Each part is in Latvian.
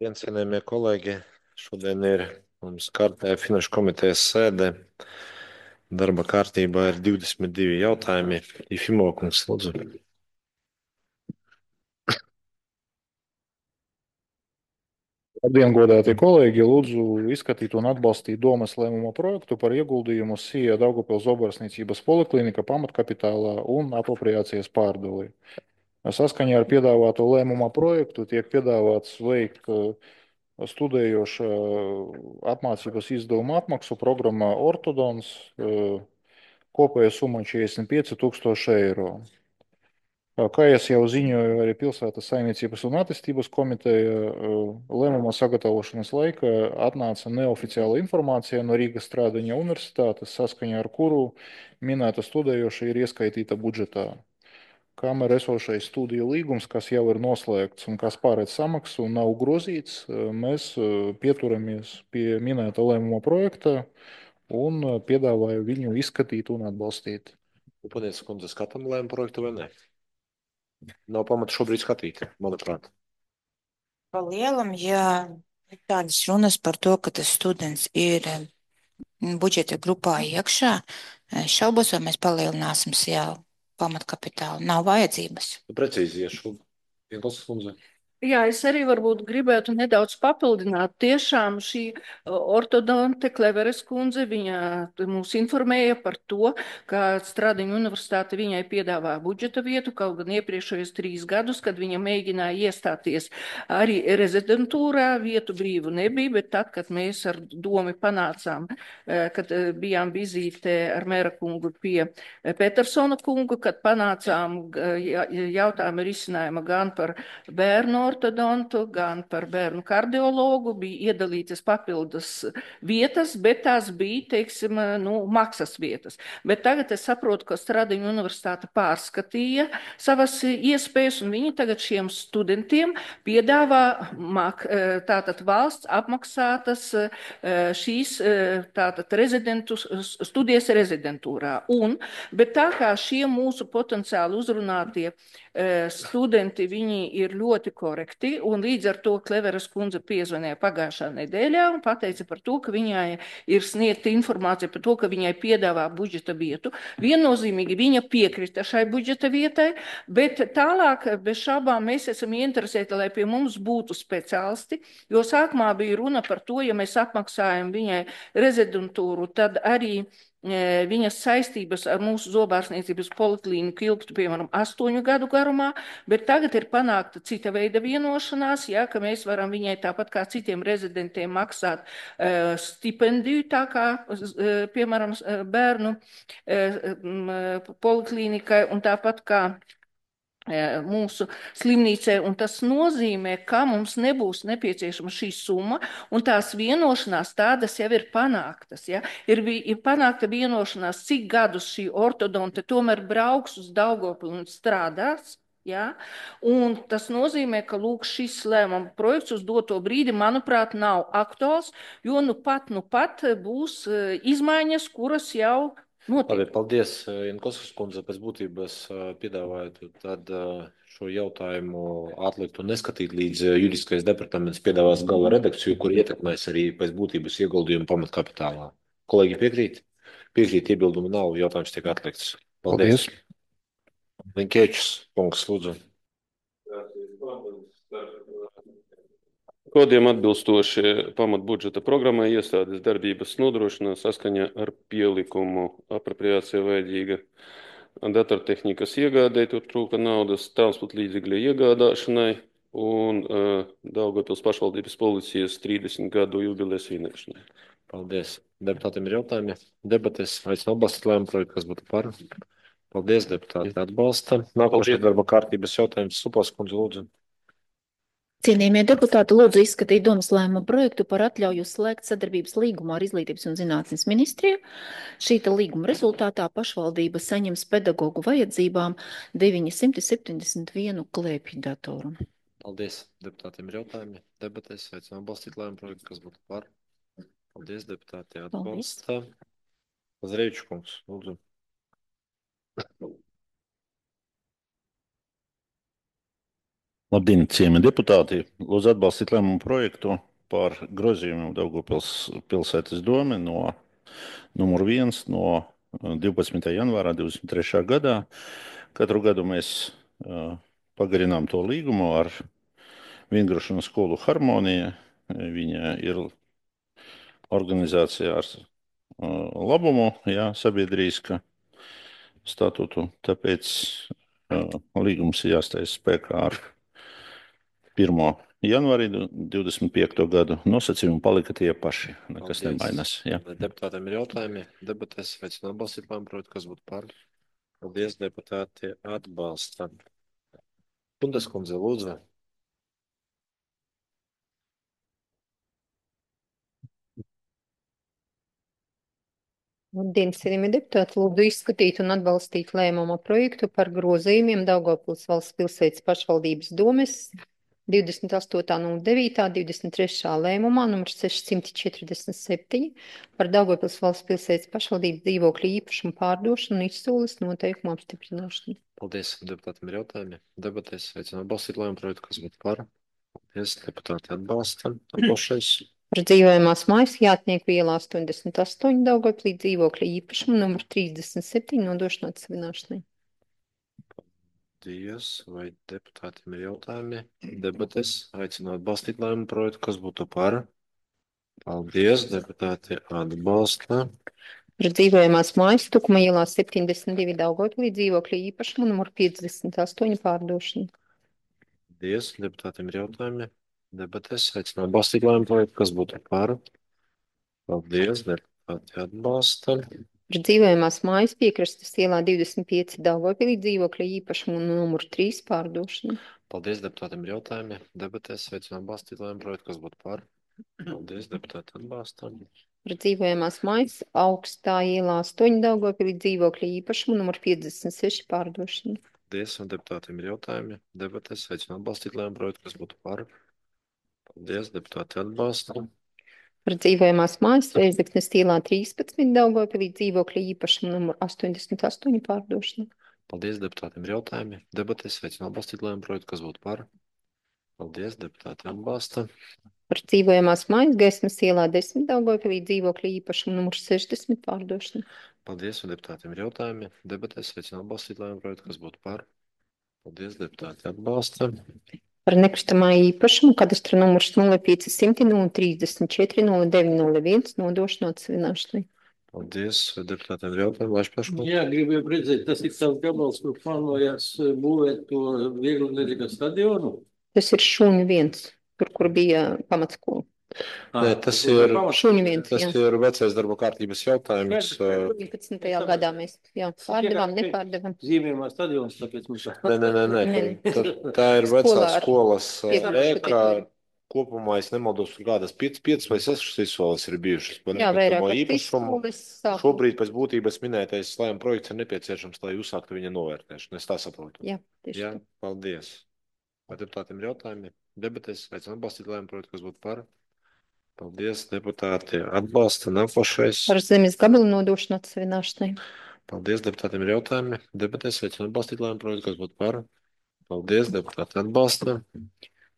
Cienījamie kolēģi, šodien ir mums kārtē Finanšu komitejas sēde. Darba kārtībā ir 22 jautājumi. Ifimo kungs, lūdzu. Labdien, godātie kolēģi! Lūdzu izskatīt un atbalstīt domas lēmuma projektu par ieguldījumu SIA Daugavpils Zobarasniecības poliklinika pamatkapitālā un apropriācijas pārdali. Saskaņā ar piedāvāto lēmuma projektu tiek piedāvāts veikt studējoša apmācības izdevuma apmaksu programmā Ortodons, kopēja summa 45 000 eiro. Kā jau ziņoju, arī Pilsētas saimniecības un attīstības komiteja lēmuma sagatavošanas laikā atnāca neoficiāla informācija no Rīgas Stradiņa universitātes, saskaņā ar kuru minēta studējoša ir ieskaitīta budžetā. Kamēr esošais studiju līgums, kas jau ir noslēgts un kas pārēc samaksu, nav grozīts, mēs pieturamies pie minēta lēmuma projekta un piedāvāju viņu izskatīt un atbalstīt. Upanieks kundze, skatām lēmumu projektu vai ne? Nav pamata šobrīd skatīt, manuprāt. Pa lielam, ja ir tādas runas par to, ka tas students ir budžeta grupā iekšā, šaubos, vai mēs palielināsim jau pamatkapitālu. Nav vajadzības. Precīzi iešu. Ienklausas kundze. Jā, es arī varbūt gribētu nedaudz papildināt. Tiešām šī ortodonte Kleveres kundze, viņa mūs informēja par to, ka Stradiņu universitāte viņai piedāvā budžeta vietu, kaut gan iepriekšējos 3 gadus, kad viņa mēģināja iestāties arī rezidentūrā, vietu brīvu nebija, bet tad, kad mēs ar domu panācām, kad bijām vizītē ar mēra kungu pie Petersona kungu, kad panācām jautājumu risinājumu gan par bērnu ortodontu, gan par bērnu kardiologu, bija iedalītas papildus vietas, bet tās bija, teiksim, maksas vietas. Bet tagad es saprotu, ka Stradiņu universitāte pārskatīja savas iespējas, un viņi tagad šiem studentiem piedāvā tātad valsts apmaksātas šīs tātad studijas rezidentūrā. Bet tā kā šie mūsu potenciāli uzrunātie studenti, viņi ir ļoti korekti, un līdz ar to Kleveras kundze piezvanīja pagājušā nedēļā un pateica par to, ka viņai ir sniegta informācija par to, ka viņai piedāvā budžeta vietu. Viennozīmīgi viņa piekrita šai budžeta vietai, bet tālāk bez šaubām mēs esam ieinteresēti, lai pie mums būtu speciālisti, jo sākumā bija runa par to, ja mēs apmaksājam viņai rezidentūru, tad arī viņas saistības ar mūsu zobārstniecības poliklīniku ilgtu, piemēram, 8 gadu garumā, bet tagad ir panākta cita veida vienošanās, ja, ka mēs varam viņai tāpat kā citiem rezidentiem maksāt stipendiju, tā kā, piemēram, bērnu poliklīnikai un tāpat kā mūsu slimnīcē, un tas nozīmē, ka mums nebūs nepieciešama šī summa, un tās vienošanās tādas jau ir panāktas. Ja? Ir panākta vienošanās, cik gadus šī ortodonte tomēr brauks uz Daugavpili un strādās. Ja? Un tas nozīmē, ka lūk, šis lēmuma projekts uz doto brīdi, manuprāt, nav aktuāls, jo nu pat būs izmaiņas, kuras jau notiek. Paldies, Ienklausas kundze, pēc būtības piedāvāju tad šo jautājumu atlikt un neskatīt, līdz juridiskais departaments piedāvās gala redakciju, kur ietekmēs arī pēc būtības ieguldījumu pamatkapitālā. Kolēģi piekrīt? Piekrīt, iebildumu nav, jautājums tiek atlikts. Paldies. Linkēčs, kungs, lūdzu. Kodiem atbilstoši pamatbudžeta programmai iestādes darbības nodrošinās saskaņā ar pielikumu apropriācija vajadzīga datortehnikas iegādē, tur trūka naudas, transporta līdzekļu iegādāšanai un Daugavpils pašvaldības policijas 30 gadu jubilejas svinēšanai. Paldies. Deputātiem ir jautājumi. Debates, aicinu atbalstīt lēmumu projektu, kas būtu par. Paldies, deputāti atbalsta. Nākošais darba kārtības jautājums. Supas kundze, lūdzu. Cienījamie deputāti, lūdzu izskatīt domas lēmuma projektu par atļauju slēgt sadarbības līgumu ar Izglītības un zinātnes ministriju. Šīta līguma rezultātā pašvaldība saņems pedagogu vajadzībām 971 klēpju datoru. Paldies. Deputātiem ir jautājumi. Debatēs aicinu atbalstīt lēmumu projektu, kas būtu par. Paldies, deputāti atbalsta. Zreiču kungs, lūdzu. Labdien, ciemi deputāti! Lūdzu atbalstīt lēmumu projektu par grozījumiem Daugavpils pilsētas dome no numur 1 no 12. janvārā 23. gadā. Katru gadu mēs pagarinām to līgumu ar Vingrošanas skolu Harmonija. Viņa ir organizācija ar labumu, sabiedrīska statūtu, tāpēc līgums ir jāstājas spēkā ar 1. janvārī 25. gadu. Nosacījumi palika tie paši, nekas nemainās. Deputātiem ir jautājumi, debatēs, aicinu atbalstīt lēmumu projektu, kas būtu par. Paldies, deputāti atbalsta. Kundas kundze, lūdzu. Labdien, cienījamie deputāti, lūdzu izskatīt un atbalstīt lēmuma projektu par grozījumiem Daugavpils valsts pilsētas pašvaldības domes 28.09. 23. lēmumā numur 647 par Daugavpils valsts pilsētas pašvaldības dzīvokļu īpašumu pārdošanu un izsoles noteikumu apstiprināšanu. Paldies, deputātiem ir jautājumi. Debatēs, aicinu atbalstīt lēmumu projektu, kas būtu par. Paldies, deputāti atbalsta. Atbalšais. Par dzīvojamās mājas Jātnieku ielā 88 Daugavpilī dzīvokļa īpašumu numur 37 nodošanu atsevināšanai. Paldies, vai deputātiem ir jautājumi? Debates, aicinu atbalstīt lēmumu projektu, kas būtu par. Paldies, deputāti atbalsta. Par dzīvojamās mājas Tukuma ielā 72 Daugavpilī dzīvokļa īpašumu numur 58 pārdošanu. Paldies, deputātiem ir jautājumi. Debatēs, aicinu atbalstīt lēmumu projektu, kas būtu par. Paldies, deputāti atbalsta. Par dzīvojamās mājas Piekrastes ielā 25 Daugavpilī dzīvokļa īpašumu numur 3 pārdošanu. Paldies, deputātiem ir jautājumi. Debatēs, aicinu atbalstīt lēmumu projektu, kas būtu par. Paldies, deputāti atbalsta. Par dzīvojamās mājas Augstā ielā 8 Daugavpilī dzīvokļa īpašumu numur 56 pārdošanu. Paldies, un deputātiem ir jautājumi. Debatēs, aicinu atbalstīt lēmumu projektu, kas būtu par. Paldies, deputāti atbalsta. Par dzīvojamās mājas Rēzeknes ielā 13 Daugavpilī dzīvokļa īpašumu numur 88 pārdošanu. Paldies, deputātiem ir jautājumi. Debatēs, aicinu atbalstīt lēmumu projektu, kas būtu par. Paldies, deputāti atbalsta. Par dzīvojamās mājas Gaismas ielā 10 Daugavpilī dzīvokļa īpašumu numur 60 pārdošanu. Paldies, un deputātiem ir jautājumi. Debatēs, aicinu atbalstīt lēmumu projektu, kas būtu par. Paldies, deputāti atbalsta. Par nekustamā īpašumu kadastra numurs 0500 034 0901 nodošanu atsevināšanai. Paldies, deputātiem ir jautājumi. Laiš pašu. Jā, gribēju redzēt, tas ir savs gabals, kur plānojās būvēt to vieglatlētikas stadionu. Tas ir Šūņu 1, kur bija pamatskola. Nē, tas ir Šūņu 1, Tas ir vecais darba kārtības jautājums. 19. gadā mēs pārdevām, nepārdevām. Zīmējumā stadions, tāpēc mums... Nē. Tā ir vecā skolas ēka. Kopumā, es nemaldos, kādas 5 vai 6 izsoles ir bijušas. Jā, vairāk izsoles. Šobrīd pēc būtības minētais lēmuma projekts ir nepieciešams, lai uzsāktu viņa novērtēšanu. Es tā saprotu. Jā, tieši tā. Paldies. Vai deputātiem ir jautājumi? Debatēs, aicinu atbalstīt lēmumu projektu, kas būtu par. Paldies, deputāti atbalsta. Nākošais. Par zemes gabalu nodošanu atsevināšanai. Paldies, deputātiem ir jautājumi. Debatēs, aicinu atbalstīt lēmumu projektu, kas būtu par. Paldies, deputāti atbalsta.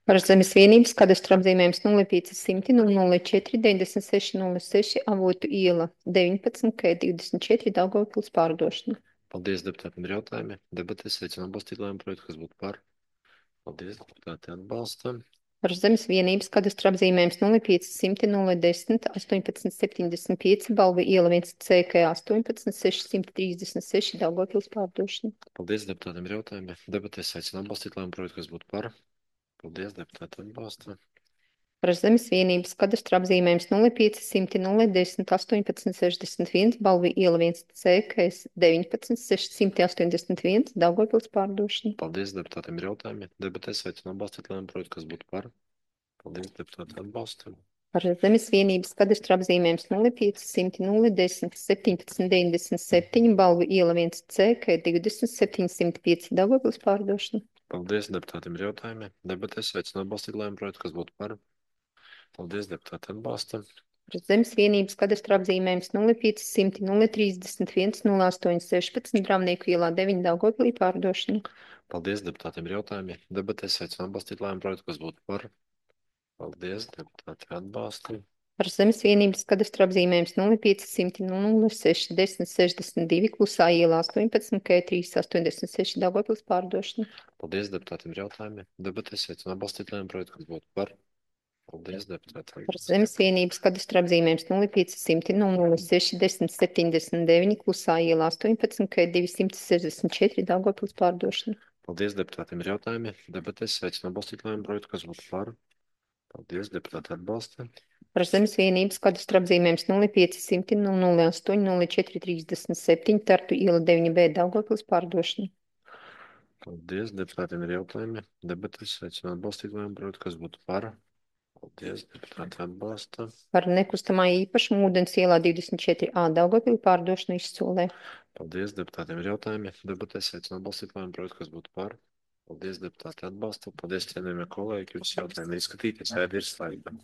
Par zemes vienības kadastra apzīmējums 0500 004 96 06 Avotu iela 19 K24 Daugavpils pārdošana. Paldies, deputātiem ir jautājumi. Debatēs, aicinu atbalstīt lēmumu projektu, kas būtu par. Paldies, deputāti atbalsta. Par zemes vienības kadastra apzīmējums 0500 010 18 75 Balvu iela 1 CK 18 636 Daugavpils pārdošana. Paldies, deputātiem ir jautājumi. Debatēs, aicinu atbalstīt lēmumu projektu, kas būtu par. Paldies, deputāti atbalsta. Par zemes vienības kadastra apzīmējums 0500 010 18 61 Balvu iela 1 CK 19 681 Daugavpils pārdošana. Paldies, deputātiem ir jautājumi. Debatēs, aicinu atbalstīt lēmumu projektu, kas būtu par. Paldies, deputāti atbalsta. Par zemes vienības kadastra apzīmējums 0500 010 17 97 Balvu iela 1 CK 20 705 Daugavpils pārdošana. Paldies, deputātiem ir jautājumi. Debatēs, aicinu atbalstīt lēmumu projektu, kas būtu par. Paldies, deputāti atbalsta. Par zemes vienības kadastra apzīmējums 0500 031 0816 Dravnieku ielā 9 Daugavpilī pārdošana. Paldies deputātiem ir jautājumi. Debatēs aicinu atbalstīt lēmumu projektu, kas būtu par. Paldies, deputāti atbalsta. Par zemes vienības kadastra apzīmējums 0500 06 10 62 Klusā ielā 18 K3 86 Daugavpils pārdošana. Paldies, deputātiem ir jautājumi. Debatēs aicinu atbalstīt lēmumu projektu, kas būtu par. Paldies, deputāti. Par zemes vienības kadastra apzīmējums 0500 06 10 79 Klusā ielā 18 K2 164 Daugavpils pārdošana. Paldies, deputātiem ir jautājumi. Debatēs aicinu atbalstīt lēmumu projektu, kas būtu par. Paldies, deputāti atbalsta. Par zemes vienības kadastra apzīmējums 0500 08 04 37 Tartu iela 9B Daugavpils pārdošana. Paldies, deputātiem ir jautājumi. Debatēs aicinu atbalstīt lēmumu projektu, kas būtu par. Paldies, deputāti atbalsta. Par nekustamā īpašumu ūdens ielā 24A Daugavpili pārdošanu izsolē. Paldies, deputātiem ir jautājumi. Debatēs aicinu atbalstīt lēmumu projektu, kas būtu par. Paldies, deputāti atbalsta. Paldies, cienījamie kolēģi, jūs jautājumi izskatīties, sēde ir slēgta.